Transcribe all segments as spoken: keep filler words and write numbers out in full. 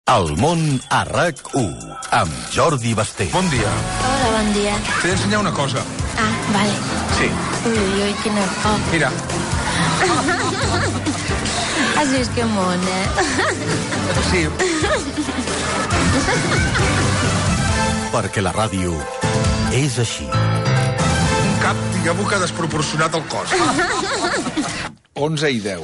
El món a RAC u, amb Jordi Basté. Bon dia. Hola, bon dia. T'he d'ensenyar una cosa. Ah, vale. Sí. Ui, ui, ui, quina por. Mira. Has vist que món, eh? Sí. Perquè la ràdio és així. Un cap, diguem-ho, que ha desproporcionat el cos. onze i deu.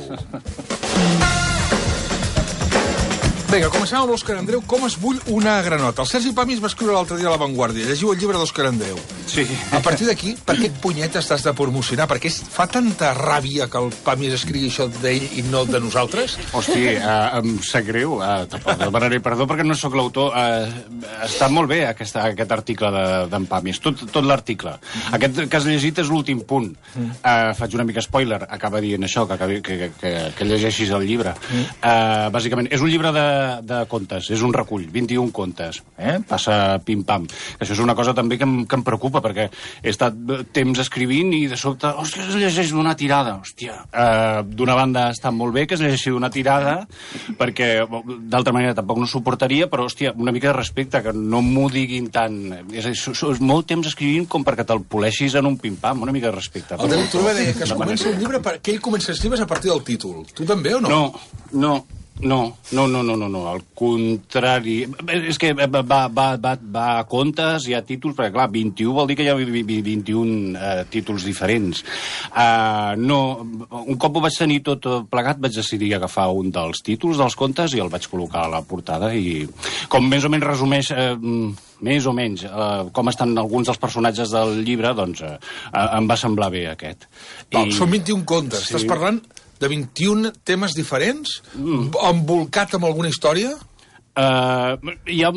Vinga, comencem amb l'Òscar Andreu. Com es bull una granota? El Sergi Pàmies va escriure l'altre dia a La Vanguardia. Llegiu el llibre d'Òscar Andreu. Sí. A partir d'aquí, per què punyetes t'has de promocionar? Perquè es fa tanta ràbia que el Pàmies escrigui això d'ell i no de nosaltres? Hosti, uh, em sap greu. Uh, tampoc demanaré perdó perquè no sóc l'autor. Uh, està molt bé aquesta, aquest article d'en Pàmies, tot, tot l'article. Aquest que has llegit és l'últim punt. Uh, faig una mica spoiler. Acaba dient això, que, acabi, que, que, que llegeixis el llibre. Uh, bàsicament, és un llibre de de contes, és un recull, vint-i-un contes, eh? Passa pim-pam. Això és una cosa també que em, que em preocupa, perquè he estat temps escrivint i de sobte, hòstia, es llegeix d'una tirada, hòstia. Uh, d'una banda està molt bé que es llegeixi d'una tirada, perquè d'altra manera tampoc no suportaria, però, hòstia, una mica de respecte, que no m'ho diguin tant. És, és, és molt temps escrivint com perquè te'l poleixis en un pim-pam, una mica de respecte. El David Turbe deia que es comença un llibre perquè ell comença a escriure a partir del títol. Tu també o no? No, no. No, no, no, no, no, no, al contrari. És que va, va, va, va a contes, hi ha títols, perquè clar, vint-i-u vol dir que hi ha vint-i-un uh, títols diferents. Uh, no, un cop ho vaig tenir tot plegat, vaig decidir agafar un dels títols dels contes i el vaig col·locar a la portada i com més o menys resumeix... Uh, més o menys, uh, com estan alguns dels personatges del llibre, doncs uh, uh, em va semblar bé aquest. Val, I... Són vint-i-un contes. Sí. Estàs parlant de vint-i-un temes diferents? Mm. Embolcat amb alguna història? Uh, hi ha...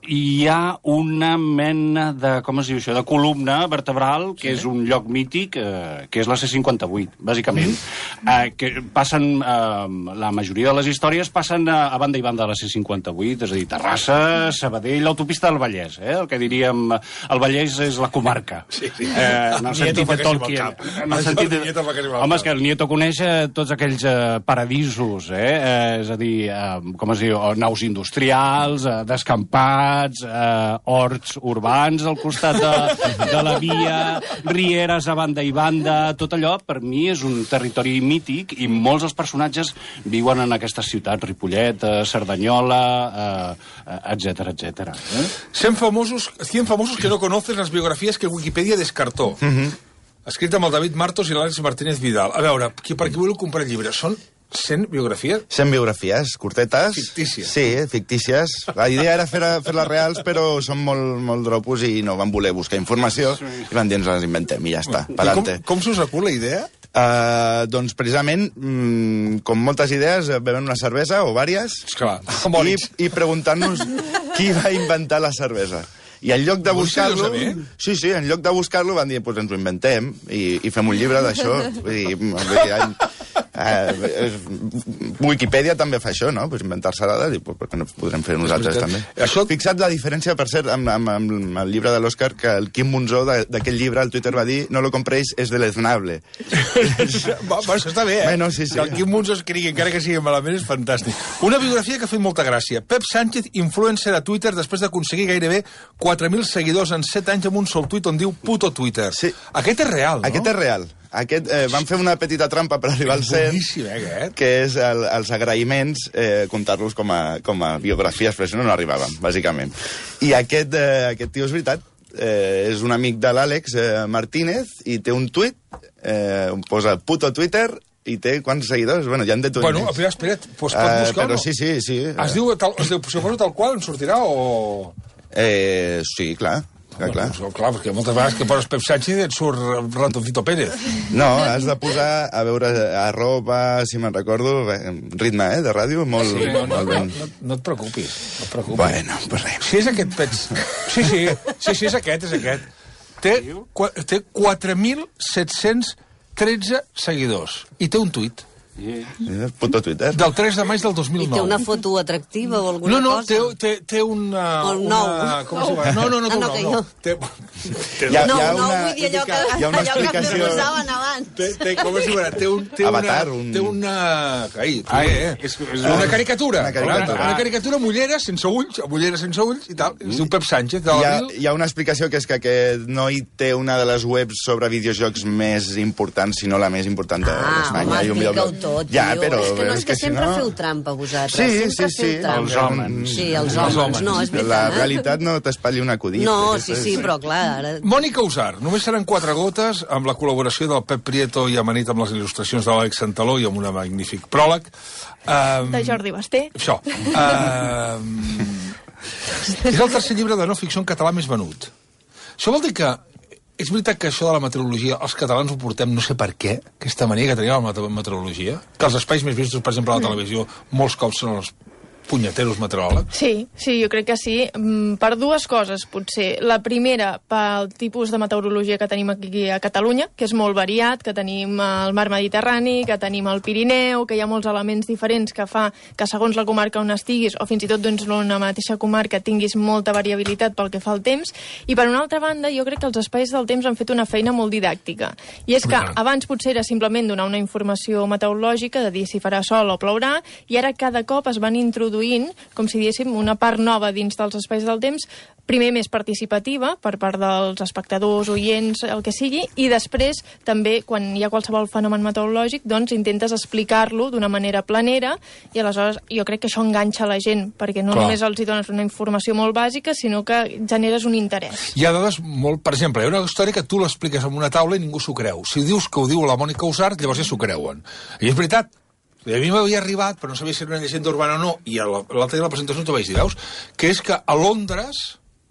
hi ha una mena de, com es diu això, de columna vertebral, que sí. És un lloc mític, eh, que és la C cinquanta-vuit, bàsicament. Mm. Eh, que passen, eh, la majoria de les històries passen a, a banda i banda de la C cinquanta-vuit, és a dir, Terrassa, Sabadell, l'autopista del Vallès, eh, el que diríem, el Vallès és la comarca. Sí, sí. Eh, en el sentit de Tolkien. En el sentit de... Home, és que el Nieto coneix tots aquells eh, paradisos, eh, eh, és a dir, eh, com es diu, naus industrials, eh, descampats, Eh, horts urbans al costat de, de la via, rieres a banda i banda, tot allò per mi és un territori mític i molts dels personatges viuen en aquestes ciutats, Ripollet, eh, Cerdanyola, eh, etcètera, etcètera. Eh? cent famosos, cien famosos que no conoces las biografías que Wikipedia descartó. Uh-huh. Escrit amb el David Martos i l'Àlex Martínez Vidal. A veure, qui, per qui voleu comprar el llibre? Són cent biografies? cent biografies, curtetes. Fictícies. Sí, fictícies. La idea era fer-les fer reals, però són molt, molt dropos i no van voler buscar informació i van dir, ens les inventem i ja està, pa'lante. Com, com s'us acut la idea? Uh, doncs precisament, mm, com moltes idees, bevem una cervesa o vàries Esclar, i, i preguntant-nos qui va inventar la cervesa. I en lloc de buscar-lo... Sí, sí, en lloc de buscar-lo van dir, doncs ens ho inventem i, i fem un llibre d'això. Vull dir, eh, Wikipedia també fa això, no? Pues inventar-se dades i pues, per què no podrem fer nosaltres també. Això... Fixa't la diferència, per cert, amb, amb, amb el llibre de l'Òscar, que el Quim Monzó d'aquell llibre al Twitter va dir no lo compréis, és deleznable. Va, va, això està bé, eh? Bueno, sí, sí. Que el Quim Monzó escrigui, encara que sigui malament, és fantàstic. Una biografia que ha fet molta gràcia. Pep Sánchez, influencer a Twitter, després d'aconseguir gairebé quatre mil seguidors en set anys amb un sol tuit on diu puto Twitter. Sí. Aquest és real, no? Aquest és real. Aquest, eh, van fer una petita trampa per arribar al cent, boníssim, eh, aquest? Que és el, els agraïments, eh, comptar-los com, a, com a biografies, però si no, no arribàvem, bàsicament. I aquest, eh, aquest tio és veritat, eh, és un amic de l'Àlex eh, Martínez i té un tuit, eh, on posa puto Twitter, i té quants seguidors? Bueno, ja en té tu. Bueno, espera, espera, pues pot buscar-lo. Uh, però sí, sí, sí. Es diu, tal, es diu, suposo tal qual, en sortirà o... Eh, sí, clar. Clar, clar. Bueno, clar, perquè moltes vegades que poses Pep Sánchez et surt Ratoncito Pérez. No, has de posar, a veure, arroba, si me'n recordo, ritme, eh, de ràdio, molt, sí, no, no, molt ben. No, no, no et preocupis, no et preocupis. Bueno, pues res. Si és aquest, pets... Sí, sí, sí, sí, és aquest, és aquest. Té, té quatre mil set-cents tretze seguidors i té un tuit. Yeah. Puto Twitter. Del tres de maig del dos mil nou. I té una foto atractiva o alguna no, no, cosa? No, té, té, té una... El nou. Una, com oh. No, no, no, ah, no, no, que no. jo... Té, té, hi ha, no, hi ha no, una, vull dir allò que, hi ha una allò que explicació... posaven abans. Té, té, com es diu ara? Té, un, té, Avatar, una, un... té una... Ai, Ai, eh? és, és una caricatura. Una caricatura. Una, una caricatura mullera, sense ulls, mullera sense ulls i tal. Es diu Pep Sánchez. De hi, ha, hi ha una explicació que és que aquest noi té una de les webs sobre videojocs més importants, si no la més important d'Espanya. Ah, home, explica-ho tot, ja, tio. però, és que no és que, que sempre si no... feu trampa, vosaltres. Sí, sempre sí, sí. feu trampa. Els homes. Sí, els homes. homes. No, és veritat. La realitat no t'espatlli un acudit. No, sí, sí, però clar... Ara... Mònica Usar, només seran quatre gotes amb la col·laboració del Pep Prieto i amanit amb les il·lustracions de l'Àlex Santaló i amb un magnífic pròleg. Um, de Jordi Basté. Això. Um, és el tercer llibre de no ficció en català més venut. Això vol dir que és veritat que això de la meteorologia els catalans ho portem no sé per què, aquesta mania que tenim amb la meteorologia, que els espais més vistos, per exemple, a la televisió, molts cops són els punyeteros meteoròlegs? Sí, sí, jo crec que sí. Per dues coses, potser. La primera, pel tipus de meteorologia que tenim aquí a Catalunya, que és molt variat, que tenim el mar Mediterrani, que tenim el Pirineu, que hi ha molts elements diferents que fa que segons la comarca on estiguis, o fins i tot doncs, en una mateixa comarca, tinguis molta variabilitat pel que fa al temps. I per una altra banda, jo crec que els espais del temps han fet una feina molt didàctica. I és que abans potser era simplement donar una informació meteorològica, de dir si farà sol o plourà, i ara cada cop es van introduir com si diéssim, una part nova dins dels espais del temps, primer més participativa per part dels espectadors, oients, el que sigui, i després també, quan hi ha qualsevol fenomen meteorològic, doncs intentes explicar-lo d'una manera planera, i aleshores jo crec que això enganxa la gent, perquè no Clar. només els hi dones una informació molt bàsica, sinó que generes un interès. Hi ha dades molt... Per exemple, hi ha una història que tu l'expliques en una taula i ningú s'ho creu. Si dius que ho diu la Mònica Usart, llavors ja s'ho creuen. I és veritat. A mi m'havia arribat, però no sabia si era una llegenda urbana o no, i a l'altre dia de la presentació t'ho vaig dir, veus? Que és que a Londres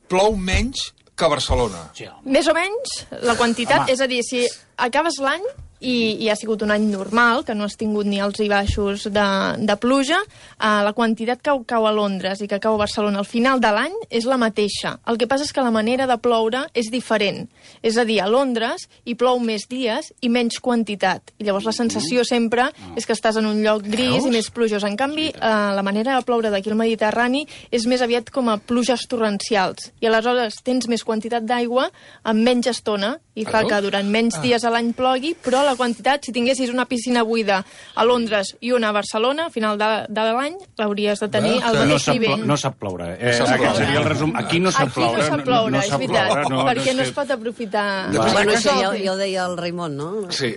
plou menys que a Barcelona. Sí. Més o menys la quantitat, Home. és a dir, si acabes l'any i, i ha sigut un any normal, que no has tingut ni alts i baixos de, de pluja, eh, la quantitat que cau a Londres i que cau a Barcelona al final de l'any és la mateixa. El que passa és que la manera de ploure és diferent. És a dir, a Londres hi plou més dies i menys quantitat. I llavors la sensació sempre és que estàs en un lloc gris Veus? i més plujós. En canvi, eh, la manera de ploure d'aquí al Mediterrani és més aviat com a pluges torrencials. I aleshores tens més quantitat d'aigua en menys estona i fa que durant menys dies a l'any plogui, però la quantitat, si tinguessis una piscina buida a Londres i una a Barcelona, al final de, de l'any l'hauries de tenir al no mateix nivell. No sap ploure. Eh, aquest seria el resum. Aquí no sap ploure. Aquí no sap ploure, no, no, no és sap veritat, ploure, no, perquè no, no es pot aprofitar... Bueno, això ja, ja ho deia el Raimon, no? Sí.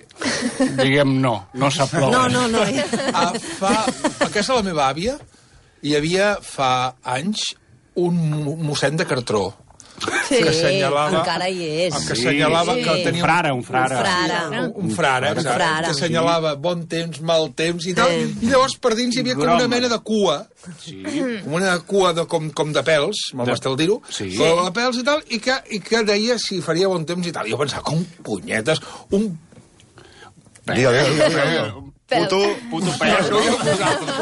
Diguem no, no sap ploure. No, no, no. A, fa, a casa de la meva àvia hi havia fa anys un mossèn de Cartró. Sí, que assenyalava, encara hi és. que assenyalava Sí. que tenia Un frare, un frare. Un frare. un, un frare, Un exacte, frare. que assenyalava bon temps, mal temps i tal, Sí. i llavors per dins hi havia com una Broma. mena de cua, Sí. com una cua de, com, com de pèls, mal m'està el dir-ho, Sí. de pèls i tal, i que, i que deia si faria bon temps i tal. I jo pensava, com punyetes, un... Digue, digue, digue, digue. Puto, Puto pèl.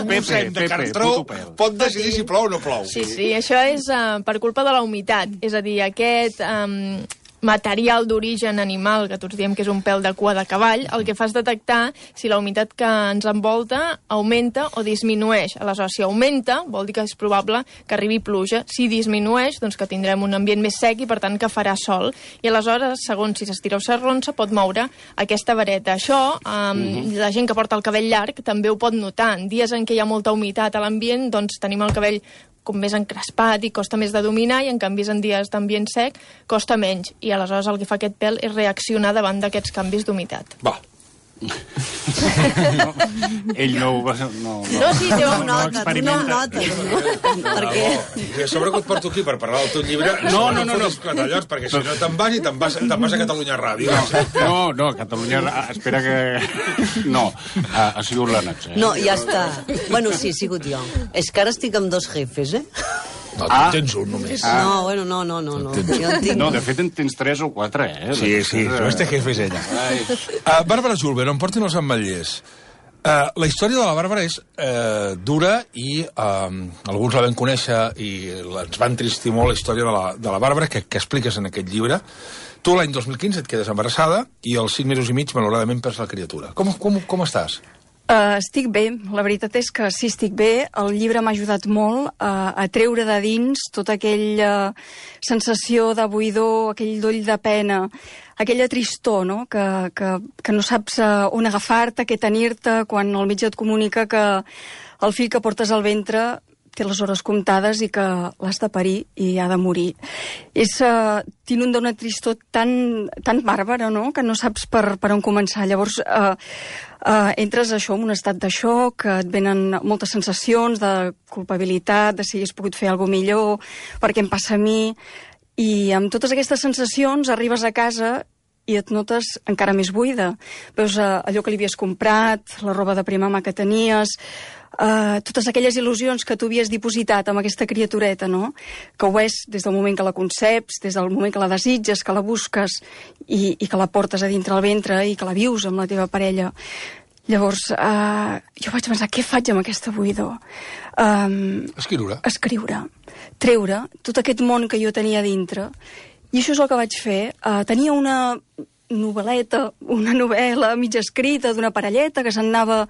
un mossèn de Cartró pot decidir si plou o no plou. Sí, sí, això és uh, per culpa de la humitat. És a dir, aquest um, material d'origen animal, que tots diem que és un pèl de cua de cavall, el que fa és detectar si la humitat que ens envolta augmenta o disminueix. Aleshores, si augmenta, vol dir que és probable que arribi pluja. Si disminueix, doncs que tindrem un ambient més sec i, per tant, que farà sol. I aleshores, segons si s'estira o s'arronsa, pot moure aquesta vareta. Això, um, uh-huh. la gent que porta el cabell llarg també ho pot notar. En dies en què hi ha molta humitat a l'ambient, doncs tenim el cabell com més encrespat i costa més de dominar, i en canvi en dies d'ambient sec costa menys, i aleshores el que fa aquest pèl és reaccionar davant d'aquests canvis d'humitat. Va. No, ell no ho va... No, no, No, sí, té no, un no, tu no ho notes, no? Perquè... I a sobre que et porto aquí per parlar del teu llibre, No, no, no, no. Clatallots, perquè si no te'n vas i te'n vas, te'n vas a Catalunya Ràdio. No, no, Catalunya... Espera que... No, ha, ha sigut l'Anats. Eh? No, ja està. Bueno, sí, he sigut jo. És que ara estic amb dos jefes, eh? No, tu Ah. tens un només. Ah. No, bueno, no, no, no. no. Jo en tinc... No, de fet en tens tres o quatre, eh? Sí, sí, no este jefe és ella. Uh, Bàrbara Julber, on portin els ametllers. Uh, la història de la Bàrbara és uh, dura i uh, alguns la vam conèixer i ens va entristir molt la història de la, de la Bàrbara que, que expliques en aquest llibre. Tu l'any dos mil quinze et quedes embarassada i als cinc mesos i mig, malauradament, perds la criatura. Com, com, com estàs? Uh, estic bé, la veritat és que sí, estic bé. El llibre m'ha ajudat molt uh, a treure de dins tota aquella sensació de buidor, aquell doll de pena, aquella tristor, no? Que, que, que no saps uh, on agafar-te, què tenir-te, quan el metge et comunica que el fill que portes al ventre té les hores comptades i que l'has de parir i ha de morir. És, uh, t'inunda una tristor tan, tan bàrbara, no?, que no saps per, per on començar. Llavors, uh, uh, entres això, en un estat de xoc, et venen moltes sensacions de culpabilitat, de si hagués pogut fer alguna millor, per què em passa a mi, i amb totes aquestes sensacions arribes a casa i et notes encara més buida. Veus uh, allò que li havies comprat, la roba de primera mà que tenies, Uh, totes aquelles il·lusions que tu havies dipositat amb aquesta criatureta, no? Que ho és des del moment que la conceps, des del moment que la desitges, que la busques i, i que la portes a dintre el ventre i que la vius amb la teva parella. Llavors, uh, jo vaig pensar, què faig amb aquesta buidor? Um, escriure. Escriure. Treure tot aquest món que jo tenia dintre. I això és el que vaig fer. Uh, tenia una novel·leta, una novel·la mitja escrita d'una parelleta que se'n anava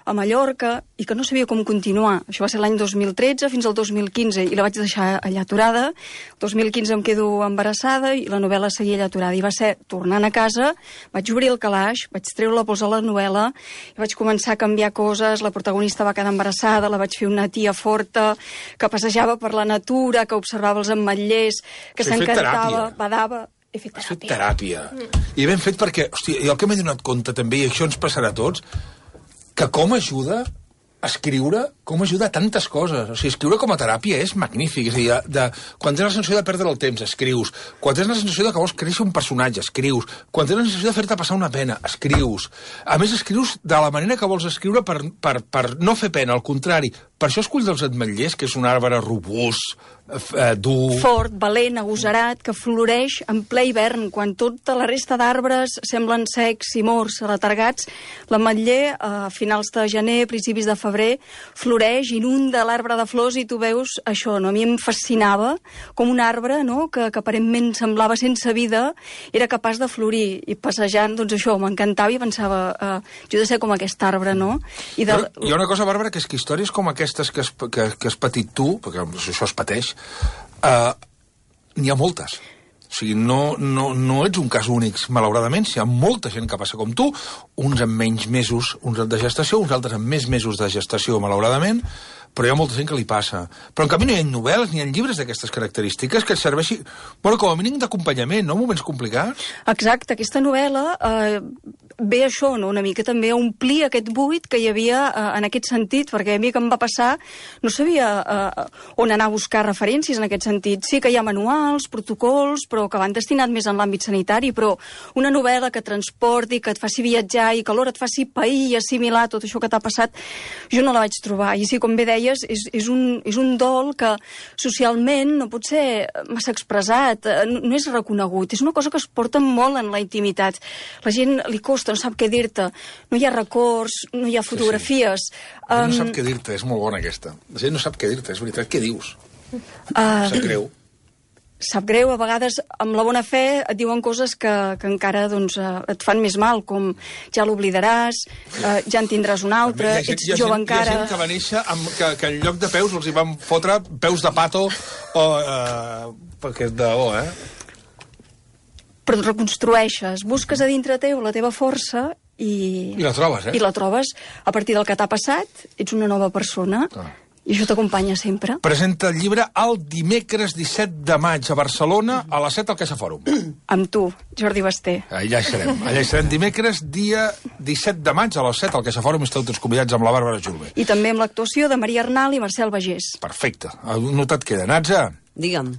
a Mallorca i que no sabia com continuar. Això va ser l'any dos mil tretze fins al dos mil quinze i la vaig deixar allà aturada. El dos mil quinze em quedo embarassada i la novel·la seguia allà aturada. I va ser tornant a casa, vaig obrir el calaix, vaig treure la pols a la novel·la i vaig començar a canviar coses. La protagonista va quedar embarassada, la vaig fer una tia forta que passejava per la natura, que observava els ametllers, que s'encantava, badava... He fet teràpia. Has fet teràpia. Mm. I ben fet perquè, hòstia, jo el que m'he donat compte també, i això ens passarà a tots, que com ajuda a escriure, com ajuda a tantes coses. O sigui, escriure com a teràpia és magnífic. És a dir, de, quan tens la sensació de perdre el temps, escrius. Quan tens la sensació de que vols créixer un personatge, escrius. Quan tens la sensació de fer-te passar una pena, escrius. A més, escrius de la manera que vols escriure per, per, per no fer pena, al contrari. Per això escull dels ametllers, que és un arbre robust, eh, dur... Fort, valent, agosarat, que floreix en ple hivern, quan tota la resta d'arbres semblen secs i morts, retargats. L'ametller, a finals de gener, principis de febrer, floreix, inunda l'arbre de flors i tu veus això, no? A mi em fascinava com un arbre, no?, que, que aparentment semblava sense vida, era capaç de florir. I passejant, doncs això, m'encantava i pensava, eh, jo he de ser com aquest arbre, no? I de... Però hi ha una cosa, Bàrbara, que és que històries com aquestes que has, que, que has patit tu, perquè això es pateix, uh, n'hi ha moltes. O sigui, no, no, no ets un cas únic, malauradament. Hi ha molta gent que passa com tu, uns amb menys mesos uns de gestació, uns altres amb més mesos de gestació, malauradament, però hi ha molta gent que li passa. Però en canvi no hi ha novel·les ni hi ha llibres d'aquestes característiques que et serveixi, bueno, com a mínim d'acompanyament, no?, en moments complicats. Exacte, aquesta novel·la eh, ve això, no?, una mica també a omplir aquest buit que hi havia eh, en aquest sentit, perquè a mi que em va passar no sabia eh, on anar a buscar referències en aquest sentit. Sí que hi ha manuals, protocols, però que van destinats més en l'àmbit sanitari, però una novel·la que transporti, que et faci viatjar i que alhora et faci pair i assimilar tot això que t'ha passat, jo no la vaig trobar. I sí, com bé deies, és, és, un, és un dol que socialment no pot ser massa expressat, no, no és reconegut, és una cosa que es porta molt en la intimitat. La gent li costa, no sap què dir-te, no hi ha records, no hi ha fotografies. Sí, sí. La gent no sap què dir-te, és molt bona aquesta. La gent no sap què dir-te, és veritat, què dius? Uh, sap greu. Sap greu, a vegades amb la bona fe et diuen coses que, que encara doncs, uh, et fan més mal, com ja l'oblidaràs, uh, ja en tindràs un altre, gent, ets jove gent, encara... Hi ha gent que va néixer amb, que, que en lloc de peus els hi van fotre peus de pato o... Uh, perquè és de... Oh, eh? Però et reconstrueixes, busques a dintre teu la teva força i... I la trobes, eh? I la trobes. A partir del que t'ha passat, ets una nova persona. Ah. I això t'acompanya sempre. Presenta el llibre el dimecres disset de maig a Barcelona, a les set al Caixa Fòrum. Amb tu, Jordi Basté. Allà hi serem. Allà hi serem dimecres, dia disset de maig, a les set al Caixa Fòrum. Esteu tots convidats amb la Bàrbara Julve. I també amb l'actuació de Maria Arnal i Marcel Bagés. Perfecte. No et queda. Natza? Digue'm.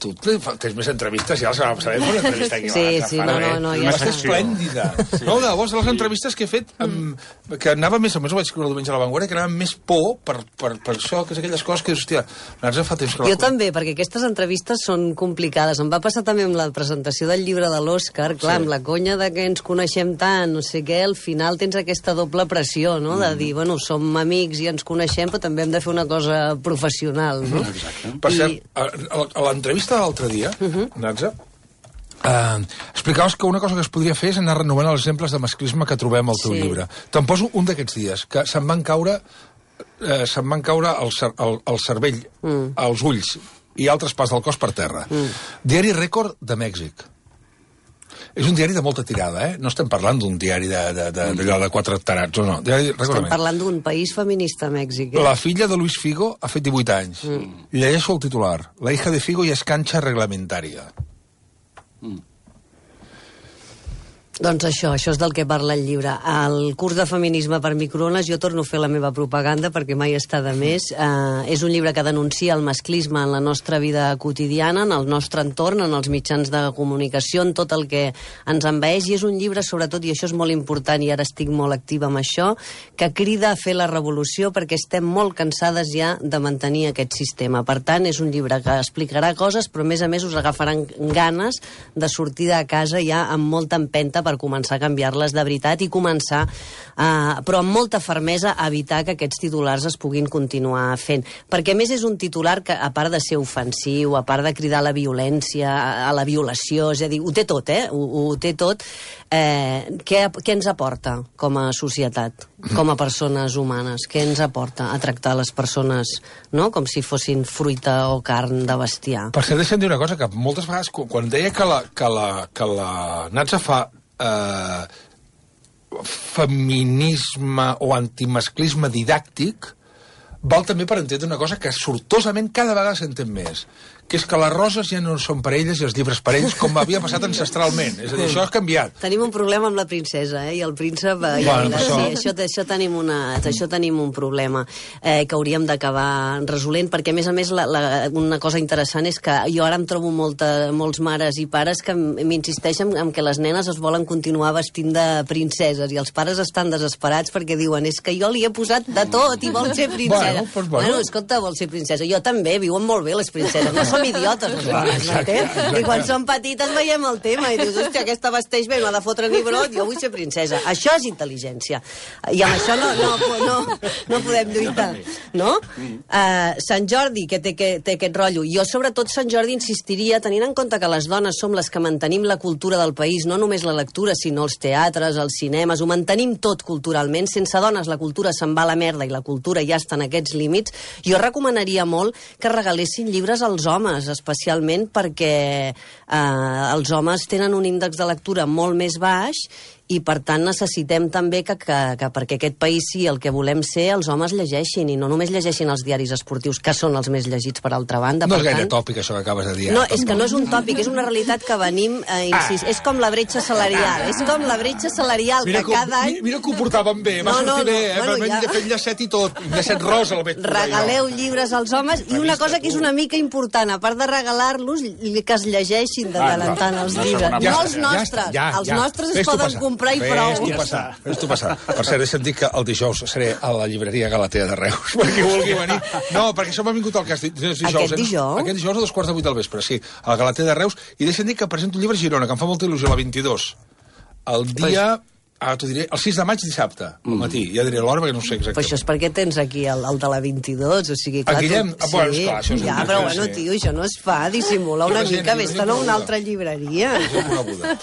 Tu tens més entrevistes, ja la setmana passada una entrevista aquí. Sí, sí, no, no, no, ja està. Esplèndida. Sí. No, de llavors, les entrevistes que he fet, amb, que anava més, a més ho vaig escriure el diumenge a La Vanguardia, que anava més por per, per, per això, que és aquelles coses que, hòstia, Natza fa temps que la... Jo també, perquè aquestes entrevistes són complicades. Em va passar també amb la presentació del llibre de l'Òscar, clar, sí. Amb la conya de que ens coneixem tant, no sé què, al final tens aquesta doble pressió, no?, de dir, bueno, som amics i ens coneixem, però també hem de fer una cosa professional, no? Exacte. Per I... cert, a, a l'entrevista de l'altre dia, uh-huh. Natza, Uh, explicaves que una cosa que es podria fer és anar renovant els exemples de masclisme que trobem al teu Sí. llibre. Te'n poso un d'aquests dies, que se'm van caure, eh, se'm van caure el, cer el, el cervell, mm. els ulls i altres parts del cos per terra. Mm. Diari Rècord de Mèxic. És un diari de molta tirada, eh? No estem parlant d'un diari d'allò de, de, de, de quatre tarats, no, no. Diari Rècord de Estem Mèxic. parlant d'un país feminista, Mèxic. Eh? La filla de Luis Figo ha fet divuit anys. Mm. Llegeixo el titular. La hija de Figo ja és canxa reglamentària. Mm. Doncs això, això és del que parla el llibre. El curs de feminisme per microones, jo torno a fer la meva propaganda perquè mai està de més. Uh, és un llibre que denuncia el masclisme en la nostra vida quotidiana, en el nostre entorn, en els mitjans de comunicació, en tot el que ens envaeix, i és un llibre, sobretot, i això és molt important, i ara estic molt activa amb això, que crida a fer la revolució perquè estem molt cansades ja de mantenir aquest sistema. Per tant, és un llibre que explicarà coses, però a més a més us agafaran ganes de sortir de casa ja amb molta empenta per començar a canviar-les de veritat i començar, eh, però amb molta fermesa, a evitar que aquests titulars es puguin continuar fent. Perquè, a més, és un titular que, a part de ser ofensiu, a part de cridar a la violència, a, a la violació, és a dir, ho té tot, eh? Ho, ho té tot. Eh, què, què ens aporta com a societat, com a persones humanes? Què ens aporta a tractar les persones, no?, com si fossin fruita o carn de bestiar? Per cert, deixa'm dir una cosa, que moltes vegades, quan deia que la, que la, que la Natza fa eh, feminisme o antimasclisme didàctic, val també per entendre una cosa que sortosament cada vegada s'entén més, que és que les roses ja no són per elles i els llibres per ells, com havia passat ancestralment. És a dir, això ha canviat. Tenim un problema amb la princesa, eh? I el príncep... Eh, Bueno, ja, això- sí, això, això, tenim una, això tenim un problema eh, que hauríem d'acabar resolent, perquè, a més a més, la, la, una cosa interessant és que jo ara em trobo molta, molts mares i pares que m'insisteixen en que les nenes es volen continuar vestint de princeses, i els pares estan desesperats perquè diuen, és que jo li he posat de tot i vol ser princesa. Bueno, doncs bueno. bueno, escolta, vol ser princesa. Jo també, viuen molt bé les princeses, no som idiotes, les dones, m'entens? I quan som petites veiem el tema i dius, hòstia, aquesta vesteix bé, no ha de fotre ni brot, jo vull ser princesa. Això és intel·ligència. I amb això no, no, no, no podem lluitar, no? Uh, Sant Jordi, que té, que té aquest rotllo. Jo, sobretot, Sant Jordi insistiria, tenint en compte que les dones som les que mantenim la cultura del país, no només la lectura, sinó els teatres, els cinemes, ho mantenim tot culturalment. Sense dones la cultura se'n va a la merda i la cultura ja està en aquests límits. Jo recomanaria molt que regalessin llibres als homes, especialment perquè eh, els homes tenen un índex de lectura molt més baix i, per tant, necessitem també que, que, que perquè aquest país sí el que volem ser, els homes llegeixin, i no només llegeixin els diaris esportius, que són els més llegits, per altra banda. No per és gaire tant... tòpic, això que acabes de dir. No, és que no és un tòpic, és una realitat que venim a insistir. És com la bretxa salarial, és com la bretxa salarial, Mira que que, cada any... mi- mira que ho portàvem bé, va No, no, sortir bé, no, eh? bueno, Bueno, ja- ja... fet llacet i tot, llacet rosa al veig. Regaleu llibres als homes, i una cosa que és una mica important, a part de regalar-los, que es llegeixin de tant en tant els no, llibres. segona No part. els nostres, els nostres es Fes-t'ho poden passar. comprar i Fes-t'ho prou. passar, fes-t'ho passar. Per cert, he sentit que el dijous seré a la llibreria Galatea de Reus, perquè vulgui venir. No, perquè això m'ha vingut al cas. Dijous, Aquest eh? dijous? Aquest dijous a dos quarts de vuit del vespre, sí, a la Galatea de Reus, i deixa'm dir que presento un llibre a Girona, que em fa molta il·lusió, la vint-i-dos. El dia... Ara t'ho diré, el sis de maig, dissabte, al matí. Ja diré l'hora, perquè no ho sé Però exactament. això és perquè tens aquí el, el de la vint-i-dos, o sigui, clar... El Guillem? tu- Ah, bueno, esclar, això és un ja, llibre, però bueno, sí. tio, això no es fa, dissimula una Jo no sé, mica, jo vés-te'n no a sé una com altra llibreria. És una coneguda.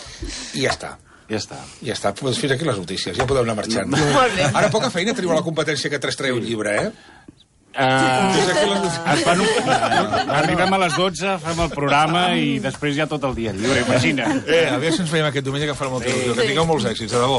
I ja està. Ja està. Ja està, doncs fins aquí les notícies, ja podeu anar marxant. Molt bé. Ara poca feina teniu a la competència que tres treu un llibre, eh? Uh, Fins aquí les es fan un... uh, arribem a les dotze, fem el programa i després ja tot el dia lliure, imagina. Eh, a veure si ens veiem aquest diumenge, que farà molta il·lusió. Que tingueu molts èxits, de debò.